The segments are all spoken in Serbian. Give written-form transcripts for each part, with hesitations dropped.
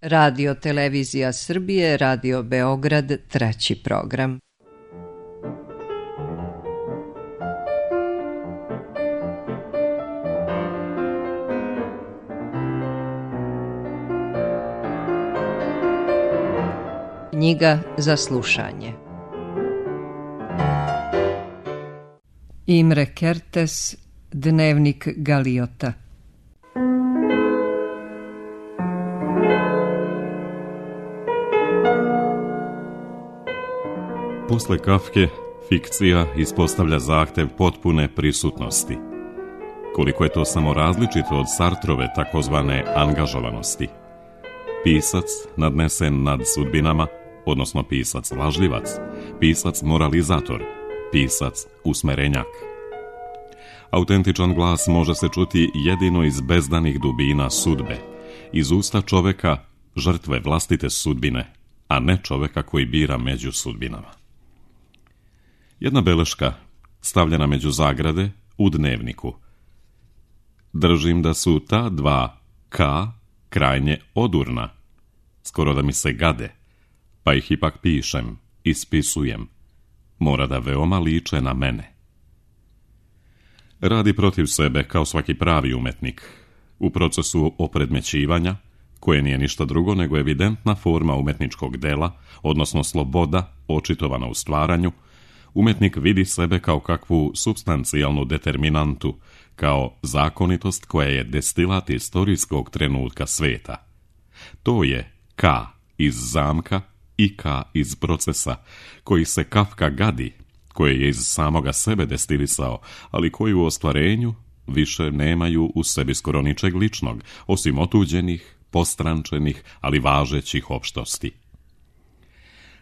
Radio Televizija Srbije, Radio Beograd, 3. program. Knjiga za slušanje. Imre Kertész, Dnevnik Galiota. Posle Kafke, fikcija ispostavlja zahtev potpune prisutnosti. Koliko je to samo različito od Sartrove takozvane angažovanosti. Pisac nadnesen nad sudbinama, odnosno pisac lažljivac, pisac moralizator, pisac usmerenjak. Autentičan glas može se čuti jedino iz bezdanih dubina sudbe, iz usta čoveka, žrtve vlastite sudbine, a ne čoveka koji bira među sudbinama. Jedna beleška, stavljena među zagrade u dnevniku. Držim da su ta dva K krajnje odurna, skoro da mi se gade, pa ih ipak pišem, ispisujem. Mora da veoma liče na mene. Radi protiv sebe kao svaki pravi umetnik. U procesu opredmećivanja, koje nije ništa drugo nego evidentna forma umetničkog dela, odnosno sloboda, očitovana u stvaranju, umetnik vidi sebe kao kakvu supstancijalnu determinantu, kao zakonitost koja je destilat istorijskog trenutka sveta. To je K iz zamka i K iz procesa, koji se Kafka gadi, koje je iz samoga sebe destilisao, ali koji u ostvarenju više nemaju u sebi skoro ničeg ličnog, osim otuđenih, postrančenih, ali važećih opštosti.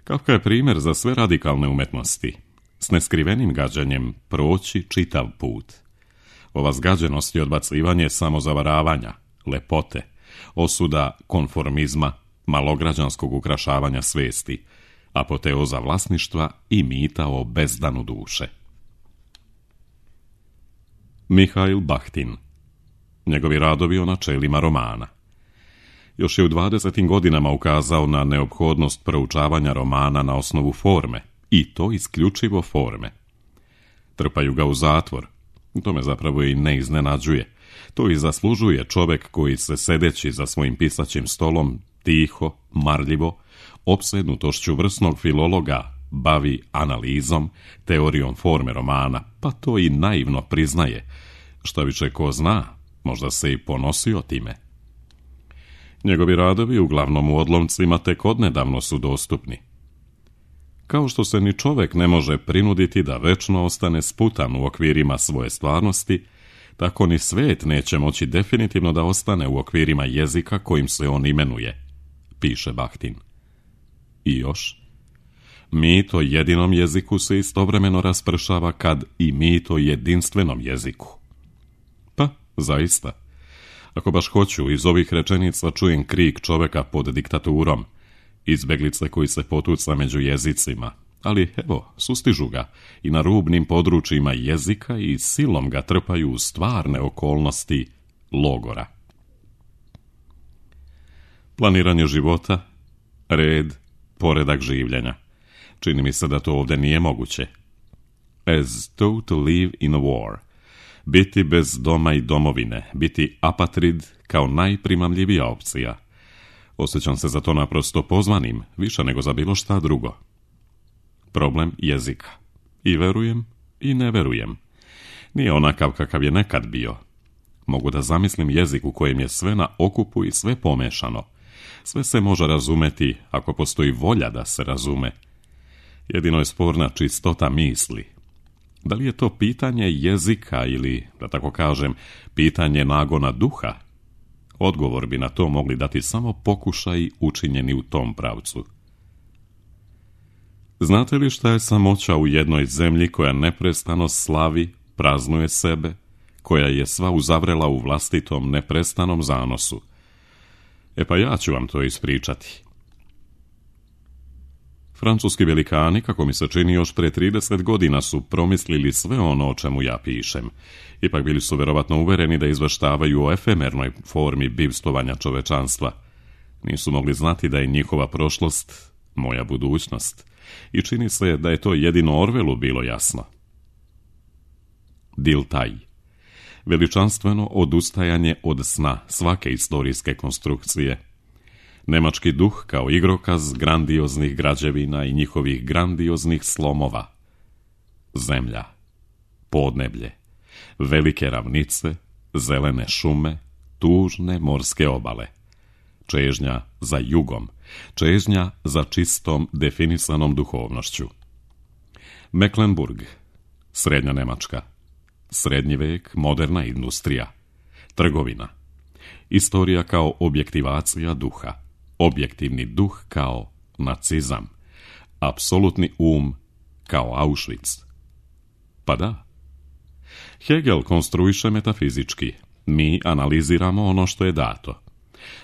Kafka je primjer za sve radikalne umetnosti, s neskrivenim gađanjem proći čitav put. Ova zgađenost i odbacivanje samozavaravanja, lepote, osuda konformizma, malograđanskog ukrašavanja svesti, apoteoza vlasništva i mita o bezdanu duše. Mihail Bahtin. Njegovi radovi o načelima romana. Još je u 20. godinama ukazao na neophodnost proučavanja romana na osnovu forme, i to isključivo forme. Trpaju ga u zatvor. To me zapravo i ne iznenađuje. To i zaslužuje čovek koji se sedeći za svojim pisaćim stolom, tiho, marljivo, opsednutošću vrsnog filologa, bavi analizom, teorijom forme romana, pa to i naivno priznaje. Šta više ko zna, možda se i ponosio time. Njegovi radovi, uglavnom u odlomcima, tek odnedavno su dostupni. Kao što se ni čovek ne može prinuditi da večno ostane sputan u okvirima svoje stvarnosti, tako ni svet neće moći definitivno da ostane u okvirima jezika kojim se on imenuje, piše Bahtin. I još, mit o jedinom jeziku se istovremeno raspršava kad i mit o jedinstvenom jeziku. Pa, zaista, ako baš hoću, iz ovih rečenica čujem krik čoveka pod diktaturom, izbeglice koji se potuca među jezicima, ali evo, sustižu ga i na rubnim područjima jezika i silom ga trpaju u stvarne okolnosti logora. Planiranje života, red, poredak življenja. Čini mi se da to ovdje nije moguće. As though to live in a war. Biti bez doma i domovine, biti apatrid kao najprimamljivija opcija. Osjećam se za to naprosto pozvanim, više nego za bilo šta drugo. Problem jezika. I verujem i ne verujem. Nije onakav kakav je nekad bio. Mogu da zamislim jezik u kojem je sve na okupu i sve pomešano. Sve se može razumeti ako postoji volja da se razume. Jedino je sporna čistota misli. Da li je to pitanje jezika ili, da tako kažem, pitanje nagona duha? Odgovor bi na to mogli dati samo pokušaji učinjeni u tom pravcu. Znate li šta je samoća u jednoj zemlji koja neprestano slavi, praznuje sebe, koja je sva uzavrela u vlastitom neprestanom zanosu? E pa ja ću vam to ispričati. Francuski velikani, kako mi se čini, još pre 30 godina su promislili sve ono o čemu ja pišem. Ipak bili su verovatno uvereni da izveštavaju o efemernoj formi bivstvovanja čovečanstva. Nisu mogli znati da je njihova prošlost moja budućnost i čini se da je to jedino Orwellu bilo jasno. Diltaj. Veličanstveno odustajanje od sna svake istorijske konstrukcije. Nemački duh kao igrokaz grandioznih građevina i njihovih grandioznih slomova. Zemlja, podneblje, velike ravnice, zelene šume, tužne morske obale. Čežnja za jugom, čežnja za čistom definisanom duhovnošću. Mecklenburg, srednja Nemačka, srednji vek, moderna industrija, trgovina, istorija kao objektivacija duha, objektivni duh kao nacizam, apsolutni kao Auschwitz. Pa da. Hegel konstruiše metafizički, mi analiziramo ono što je dato.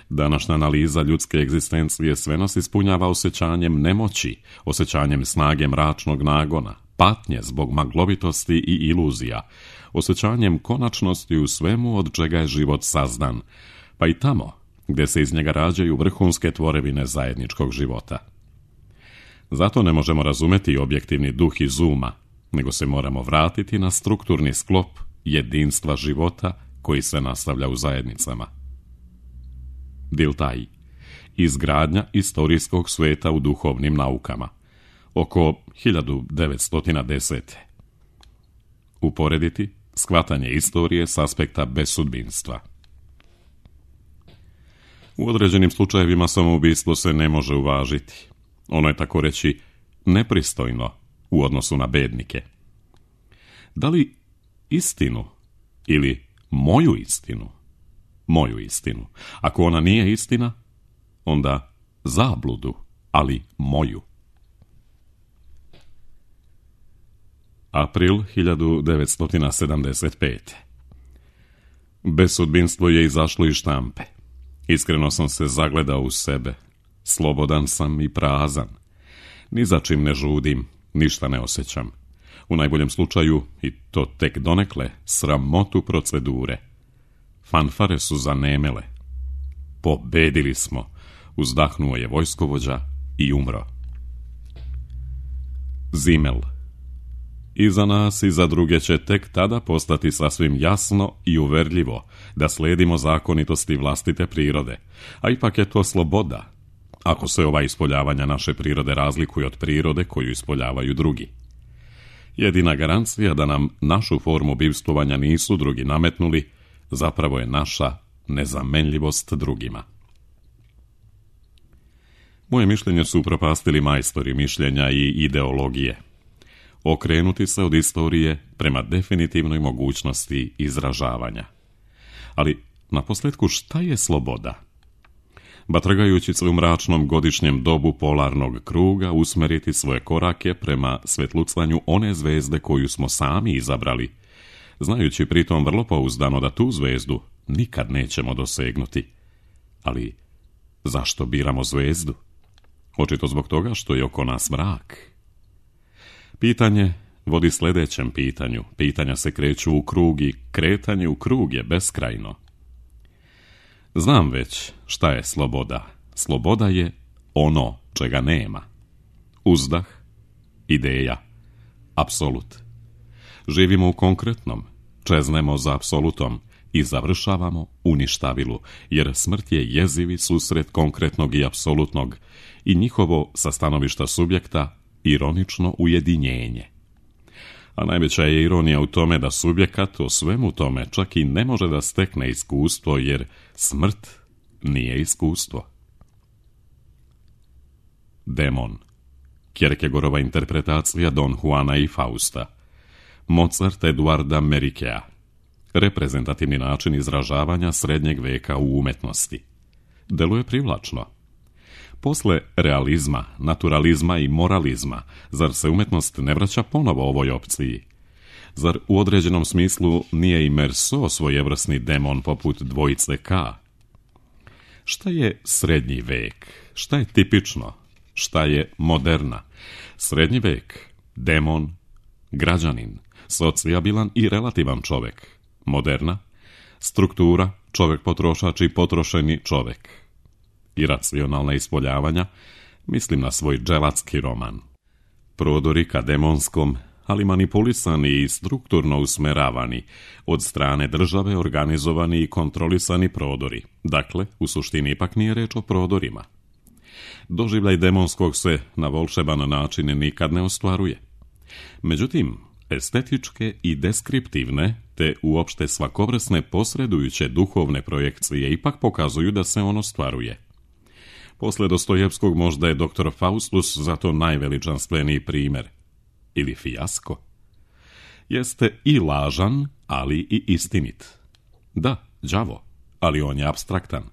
Današnja analiza ljudske egzistencije sve nas ispunjava osjećanjem nemoći, osjećanjem snage mračnog nagona, patnje zbog maglovitosti i iluzija, osjećanjem konačnosti u svemu od čega je život sazdan, pa i tamo gdje se iz njega rađaju vrhunske tvorevine zajedničkog života. Zato ne možemo razumjeti objektivni duh iz uma, nego se moramo vratiti na strukturni sklop jedinstva života koji se nastavlja u zajednicama. Diltaj. Izgradnja istorijskog sveta u duhovnim naukama. Oko 1910. Uporediti shvatanje istorije s aspekta besudbinstva. U određenim slučajevima samoubistvo se ne može uvažiti. Ono je tako reći nepristojno u odnosu na bednike. Da li istinu ili moju istinu? Moju istinu. Ako ona nije istina, onda zabludu, ali moju. April 1975. Besudbinstvo je izašlo iz štampe. Iskreno sam se zagledao u sebe. Slobodan sam i prazan. Ni za čim ne žudim, ništa ne osjećam. U najboljem slučaju, i to tek donekle, sramotu procedure. Fanfare su zanemele. Pobedili smo, uzdahnuo je vojskovođa i umro. Zimmel. I za nas i za druge će tek tada postati sasvim jasno i uverljivo da slijedimo zakonitosti vlastite prirode, a ipak je to sloboda, ako se ova ispoljavanja naše prirode razlikuje od prirode koju ispoljavaju drugi. Jedina garancija da nam našu formu bivstvovanja nisu drugi nametnuli, zapravo je naša nezamenljivost drugima. Moje mišljenje su upropastili majstori mišljenja i ideologije. Okrenuti se od istorije prema definitivnoj mogućnosti izražavanja. Ali, naposljetku, šta je sloboda? Batragajući se u mračnom godišnjem dobu polarnog kruga, usmeriti svoje korake prema svetlucanju one zvezde koju smo sami izabrali, znajući pritom vrlo pouzdano da tu zvezdu nikad nećemo dosegnuti. Ali, zašto biramo zvezdu? Očito zbog toga što je oko nas mrak. Pitanje vodi sljedećem pitanju. Pitanja se kreću u krug i kretanje u krug je beskrajno. Znam već šta je sloboda. Sloboda je ono čega nema. Uzdah, ideja, apsolut. Živimo u konkretnom, čeznemo za apsolutom i završavamo u ništavilu, jer smrt je jezivi susret konkretnog i apsolutnog i njihovo sa stanovišta subjekta ironično ujedinjenje. A najveća je ironija u tome da subjekat o svemu tome čak i ne može da stekne iskustvo, jer smrt nije iskustvo. Demon. Kierkegaardova interpretacija Don Juana i Fausta. Mozart Eduarda Merikea. Reprezentativni način izražavanja srednjeg veka u umetnosti. Deluje privlačno. Posle realizma, naturalizma i moralizma, zar se umetnost ne vraća ponovo ovoj opciji? Zar u određenom smislu nije i Meursault svojevrsni demon poput dvojice K? Šta je srednji vek? Šta je tipično? Šta je moderna? Srednji vek, demon, građanin, socijabilan i relativan čovjek. Moderna, struktura, čovjek potrošač i potrošeni čovjek. iracionalna ispoljavanja, mislim na svoj dželatski roman. Prodori ka demonskom, ali manipulisani i strukturno usmeravani, od strane države organizovani i kontrolisani prodori. Dakle, u suštini ipak nije reč o prodorima. Doživljaj demonskog se na volšeban način nikad ne ostvaruje. Međutim, estetičke i deskriptivne, te uopšte svakovrsne posredujuće duhovne projekcije ipak pokazuju da se on ostvaruje. Posle Dostojevskog možda je dr. Faustus zato najveličanstveniji primjer. Ili fijasko. Jeste i lažan, ali i istinit. Da, đavo, ali on je apstraktan.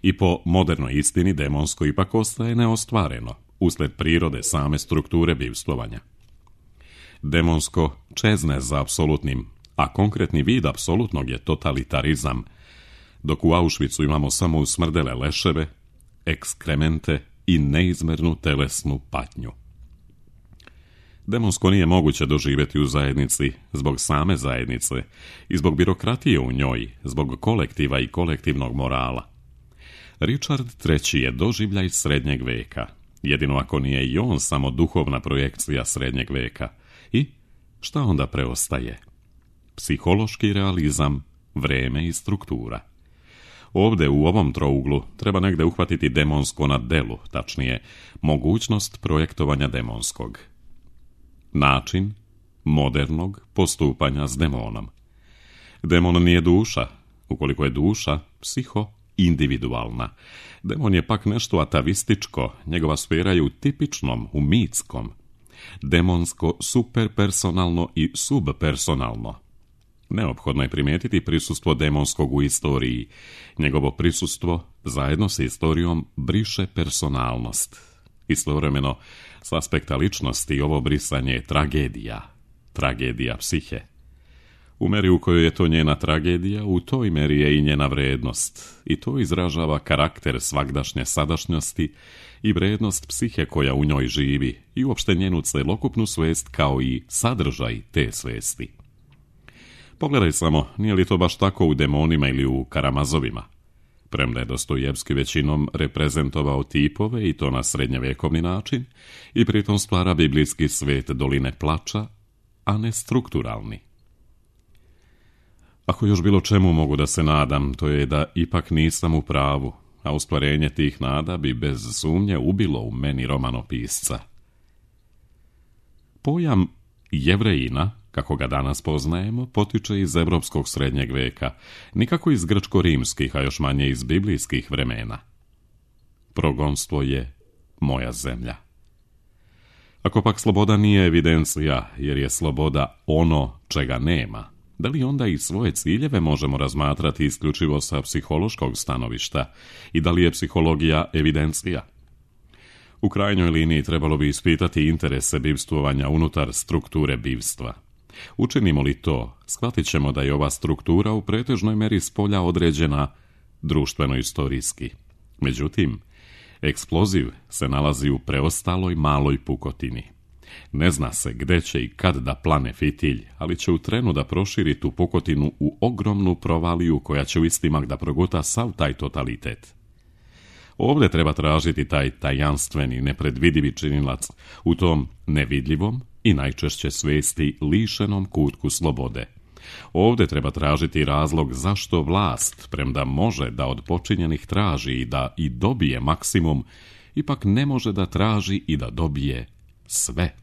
I po modernoj istini demonsko ipak ostaje neostvareno, usled prirode same strukture bivstvovanja. Demonsko čezne za apsolutnim, a konkretni vid apsolutnog je totalitarizam, dok u Auschwitzu imamo samo usmrdele leševe, ekskremente i neizmernu telesnu patnju. Demonsko nije moguće doživjeti u zajednici zbog same zajednice i zbog birokratije u njoj, zbog kolektiva i kolektivnog morala. Richard III. Je doživljaj srednjeg veka, jedino ako nije i on samo duhovna projekcija srednjeg veka. I šta onda preostaje? Psihološki realizam, vreme i struktura. Ovdje u ovom trouglu treba negde uhvatiti demonsko na delu, tačnije, mogućnost projektovanja demonskog. Način modernog postupanja s demonom. Demon nije duša, ukoliko je duša psiho-individualna. Demon je pak nešto atavističko, njegova sfera je u tipičnom, u mitskom. Demonsko superpersonalno i subpersonalno. Neophodno je primijetiti prisustvo demonskog u istoriji. Njegovo prisustvo, zajedno sa istorijom, briše personalnost. Istovremeno, s aspekta ličnosti ovo brisanje je tragedija psihe. U meri u kojoj je to njena tragedija, u toj meri je i njena vrednost. I to izražava karakter svagdašnje sadašnjosti i vrednost psihe koja u njoj živi i uopšte njenu celokupnu svest kao i sadržaj te svesti. Pogledaj samo, nije li to baš tako u demonima ili u Karamazovima? Premda je Dostojevski većinom reprezentovao tipove i to na srednjevjekovni način i pritom stvara biblijski svet doline plača, a ne strukturalni. Ako još bilo čemu mogu da se nadam, to je da ipak nisam u pravu, a ostvarenje tih nada bi bez sumnje ubilo u meni romanopisca. Pojam Jevrejina, kako ga danas poznajemo, potiče iz evropskog srednjeg veka, nikako iz grčko-rimskih, a još manje iz biblijskih vremena. Progonstvo je moja zemlja. Ako pak sloboda nije evidencija, jer je sloboda ono čega nema, da li onda i svoje ciljeve možemo razmatrati isključivo sa psihološkog stanovišta i da li je psihologija evidencija? U krajnjoj liniji trebalo bi ispitati interese bivstvovanja unutar strukture bivstva. Učinimo li to, shvatit ćemo da je ova struktura u pretežnoj meri spolja određena društveno-istorijski. Međutim, eksploziv se nalazi u preostaloj maloj pukotini. Ne zna se gde će i kad da plane fitilj, ali će u trenu da proširi tu pukotinu u ogromnu provaliju koja će u istimak da proguta sav taj totalitet. Ovdje treba tražiti taj tajanstveni, nepredvidivi činilac u tom nevidljivom i najčešće svesti lišenom kutku slobode. Ovdje treba tražiti razlog zašto vlast, premda može da od počinjenih traži i da i dobije maksimum, ipak ne može da traži i da dobije sve.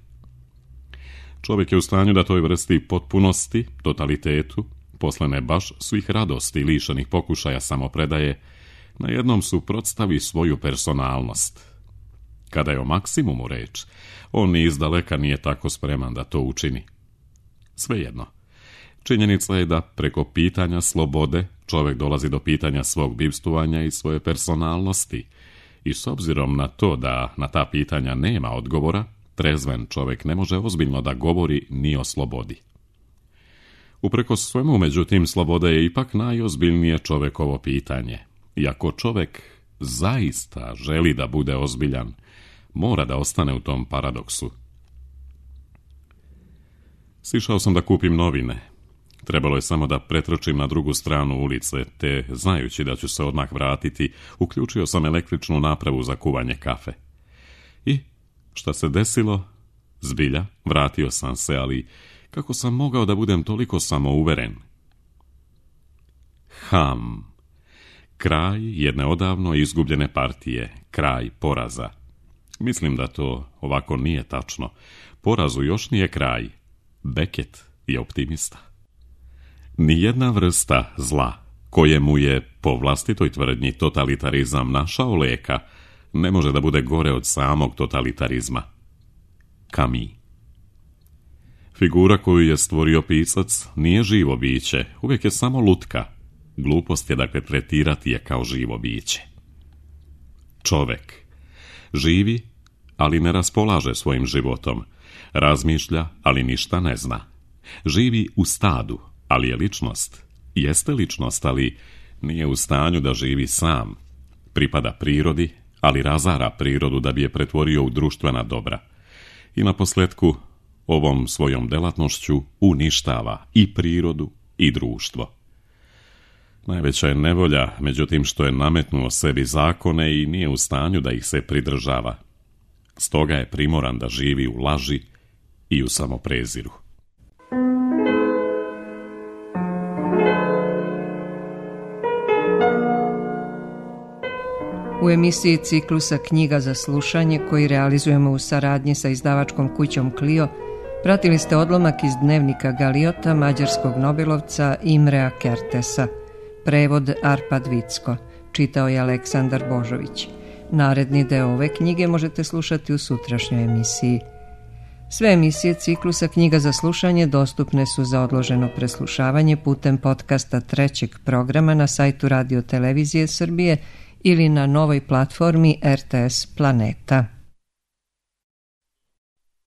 Čovjek je u stanju da toj vrsti potpunosti, totalitetu, posle ne baš svih radosti lišenih pokušaja samopredaje, na jednom suprotstavi svoju personalnost. Kada je o maksimumu reč, on ni izdaleka nije tako spreman da to učini. Svejedno, činjenica je da preko pitanja slobode čovjek dolazi do pitanja svog bivstvovanja i svoje personalnosti i s obzirom na to da na ta pitanja nema odgovora, trezven čovjek ne može ozbiljno da govori ni o slobodi. Uprkos svemu, međutim, sloboda je ipak najozbiljnije čovjekovo pitanje. I ako čovjek zaista želi da bude ozbiljan, mora da ostane u tom paradoksu. Sišao sam da kupim novine. Trebalo je samo da pretrčim na drugu stranu ulice, te, znajući da ću se odmah vratiti, uključio sam električnu napravu za kuvanje kafe. I, šta se desilo? Zbilja, vratio sam se, ali kako sam mogao da budem toliko samouveren? Kraj jedne odavno izgubljene partije, kraj poraza. Mislim da to ovako nije tačno. Porazu još nije kraj. Beckett je optimista. Nijedna vrsta zla, kojemu je, po vlastitoj tvrdnji, totalitarizam našao leka, ne može da bude gore od samog totalitarizma. Camus. Figura koju je stvorio pisac nije živo biće, uvijek je samo lutka. Glupost je dakle tretirati je kao živo biće. Čovek živi, ali ne raspolaže svojim životom. Razmišlja, ali ništa ne zna. Živi u stadu, ali je ličnost. Jeste ličnost, ali nije u stanju da živi sam. Pripada prirodi, ali razara prirodu da bi je pretvorio u društvena dobra. I naposljetku, ovom svojom delatnošću uništava i prirodu i društvo. Najveća je nevolja, međutim, što je nametnuo sebi zakone i nije u stanju da ih se pridržava. Stoga je primoran da živi u laži i u samopreziru. U emisiji ciklusa Knjiga za slušanje, koji realizujemo u saradnji sa izdavačkom kućom Clio, pratili ste odlomak iz dnevnika Galiota, mađarskog nobelovca Imrea Kertesa. Prevod Arpad Vicko. Čitao je Aleksandar Božović. Naredni deo ove knjige možete slušati u sutrašnjoj emisiji. Sve emisije ciklusa Knjiga za slušanje dostupne su za odloženo preslušavanje putem podcasta trećeg programa na sajtu Radio Televizije Srbije ili na novoj platformi RTS Planeta.